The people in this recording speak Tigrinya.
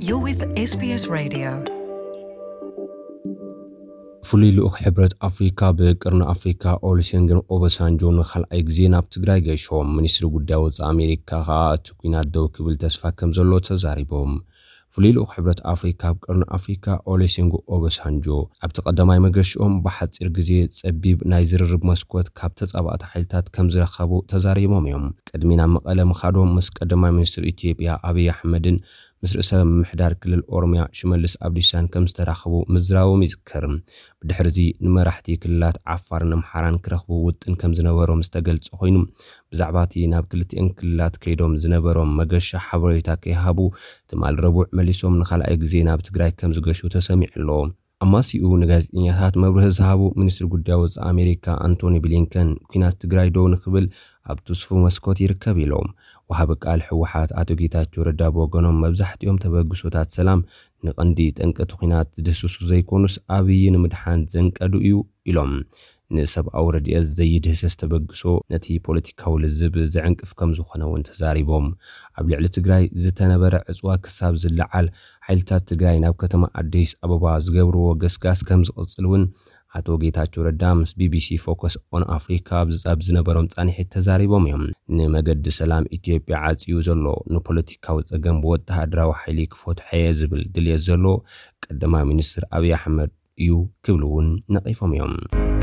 You're with S B S Radio. ፍሉይ ልኡኽ ሕብረት ኣፍሪካ ብቅርኒ ኣፍሪካ ኦሉሴጉን ኦባሳንጆ ንኻልኣይ ግዜ ናብ ትግራይ ገይሾም። ሚኒስትሪ ጉዳይ ወፃኢ ኣሜሪካ ከዓ እቲ ኲናት ደው ክብል ተስፋ ከም ዘሎ ተዛሪቦም። ፍሉይ ልኡኽ ሕብረት ኣፍሪካ ኣብ ቅርኒ ኣፍሪካ ኦሉሴጉን ኦባሳንጆ ኣብቲ ቀዳማይ መገሽኦም ብሓፂር ግዜ ፀቢብ ናይ ዝርርብ መስኮት ካብ ተፃባእቲ ሓይልታት ከም ዝረኸቡ ተዛሪቦም እዮም። ቅድሚ ናብ መቐለ ምኻዶም ምስ ቀዳማይ ሚኒስትር ኢትዮጵያ ኣብይ ኣሕመድን ምስ ርእሰ ምምሕዳር ክልል ኦሮምያ ሽመልስ ኣብዲሳን ከም ዝተራኸቡ ምዝራቦም ይዝከር። ብድሕሪ እዚ ንመራሕቲ ክልላት ዓፋርን ኣምሓራን ክረኽቡ ውጥን ከም ዝነበሮም ዝተገልጸ ኮይኑ፣ ብዛዕባ እቲ ናብ ክልቲአን ክልላት ከይዶም ዝነበሮም መገሻ ሓበሬታ ከይሃቡ ትማል ረቡዕ መሊሶም ንኻልኣይ ግዜ ናብ ትግራይ ከም ዝገሹ ተሰሚዑ ኣሎ። ኣማሲኡ ንጋዜጠኛታት መብርሂ ዝሃቡ ሚኒስትሪ ጉዳይ ወፃኢ ኣሜሪካ ኣንቶኒ ብሊንከን፣ ኲናት ትግራይ ደው ንክብል ኣብ ትስፉ መስኮት ይርከብ ኢሎም። ወሃቢ ቃል ህወሓት ኣቶ ጌታቸው ረዳ ብወገኖም፣ መብዛሕትኦም ተበግሶታት ሰላም ንቐንዲ ጠንቂ እቲ ኲናት ዝድህስሱ ዘይኮኑስ ኣብይ ንምድሓን ዘንቀዱ እዩ ኢሎም። ንሰብኣዊ ረድኤት ዘይድህሰስ ተበግሶ ነቲ ፖለቲካዊ ልዝብ ዝዕንቅፍ ከም ዝኾነ እውን ተዛሪቦም። ኣብ ልዕሊ ትግራይ ዝተነበረ ዕፅዋ ክሳብ ዝለዓል ሓይልታት ትግራይ ናብ ከተማ ኣዲስ ኣበባ ዝገብርዎ ገስጋስ ከም ዝቕፅል እውን ኣቶ ጌታቸው ረዳ ምስ ቢቢሲ ፎከስ ኦን ኣፍሪካ ኣብ ዝፀብ ዝነበሮም ፃንሒት ተዛሪቦም እዮም። ንመገዲ ሰላም ኢትዮጵያ ዓፅዩ ዘሎ ንፖለቲካዊ ፀገም ብወተሃደራዊ ሓይሊ ክፈትሖ እየ ዝብል ድልየት ዘሎ ቀዳማይ ሚኒስትር ኣብይ ኣሕመድ እዩ ክብሉ እውን ነቒፎም እዮም።